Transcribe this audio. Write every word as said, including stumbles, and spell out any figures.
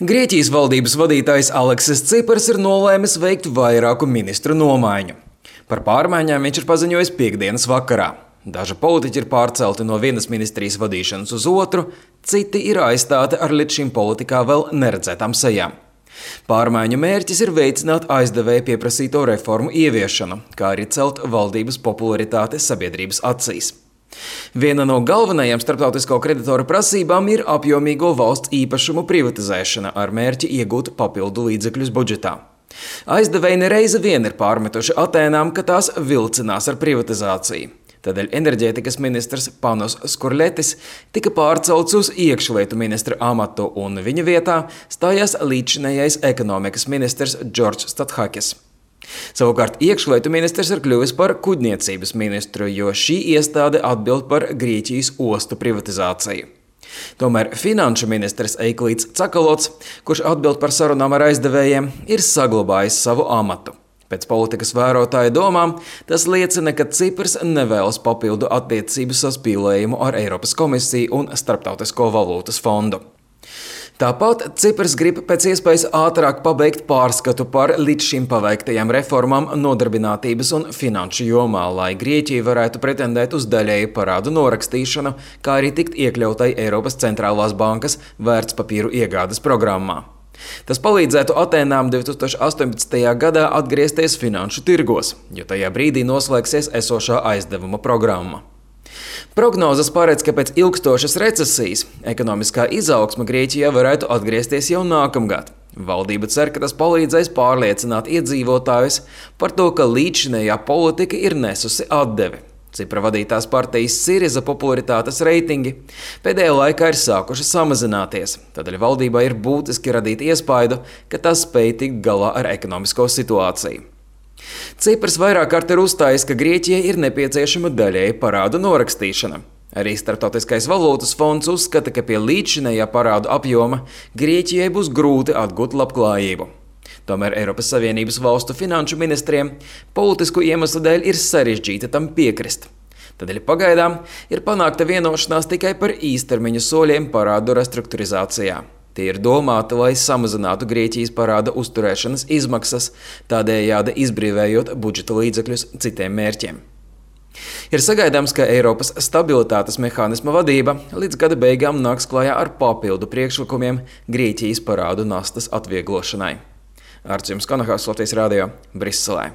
Grieķijas valdības vadītājs Aleksis Cipars ir nolēmis veikt vairāku ministru nomaiņu. Par pārmaiņām viņš ir paziņojis piekdienas vakarā. Daži politiķi ir pārcelti no vienas ministrijas vadīšanas uz otru, citi ir aizstāti ar līdz šim politikā vēl neredzētām sejām. Pārmaiņu mērķis ir veicināt aizdevēju pieprasīto reformu ieviešanu, kā arī celt valdības popularitāti sabiedrības acīs. Viena no galvenajām starptautisko kreditoru prasībām ir apjomīgo valsts īpašumu privatizēšana ar mērķi iegūt papildu līdzekļus budžetā. Aizdevēji nereizi vien ir pārmetuši Atēnām, ka tās vilcinās ar privatizāciju. Tādēļ enerģētikas ministrs Panos Skurletis tika pārcelts uz iekšlietu ministra amatu un viņa vietā stājās līdzinējais ekonomikas ministrs Džordžs Stathakis. Savukārt iekšlietu ministrs ir kļuvis par kuģniecības ministru, jo šī iestāde atbild par Grieķijas ostu privatizāciju. Tomēr finanšu ministrs Eiklīds Cakalots, kurš atbild par sarunām ar aizdevējiem, ir saglabājis savu amatu. Pēc politikas vērotāja domām, tas liecina, ka Cipars nevēlas papildu attiecību saspīlējumu ar Eiropas komisiju un Starptautisko valūtas fondu. Tāpat Cipars grib pēc iespējas ātrāk pabeigt pārskatu par līdz šim paveiktajām reformām nodarbinātības un finanšu jomā, lai Grieķija varētu pretendēt uz daļēju parādu norakstīšanu, kā arī tikt iekļautai Eiropas centrālās bankas vērtspapīru iegādes programmā. Tas palīdzētu Atēnām divi tūkstoši astoņpadsmitajā gadā atgriezties finanšu tirgos, jo tajā brīdī noslēgsies esošā aizdevuma programma. Prognozes paredz, ka pēc ilgstošas recesijas ekonomiskā izaugsme Grieķijā varētu atgriezties jau nākamgad. Valdība cer, ka tas palīdzēs pārliecināt iedzīvotājus par to, ka līdzinējā politika ir nesusi atdevi. Cipra vadītās partijas Siriza popularitātes reitingi pēdējā laikā ir sākuši samazināties, tādēļ valdībā ir būtiski radīt iespaidu, ka tas spēj tikt galā ar ekonomisko situāciju. Cipars vairāk kārt ir uzstājis, ka Grieķijai ir nepieciešama daļēja parādu norakstīšana. Arī Starptautiskais valūtas fonds uzskata, ka pie līdzinējā parādu apjoma Grieķijai būs grūti atgūt labklājību. Tomēr Eiropas Savienības valstu finanšu ministriem politisku iemeslu dēļ ir sarežģīti tam piekrist. Tādēļ pagaidām ir panākta vienošanās tikai par īstermiņa soļiem parādu restruktūrizācijā. Tie ir domāti, lai samazinātu Grieķijas parāda uzturēšanas izmaksas, tādējādi izbrīvējot budžeta līdzekļus citiem mērķiem. Ir sagaidāms, ka Eiropas stabilitātes mehānisma vadība līdz gada beigām nāks klajā ar papildu priekšlikumiem Grieķijas parādu nastas atvieglošanai. Arts jums Konahās, Latvijas radio, Briselē.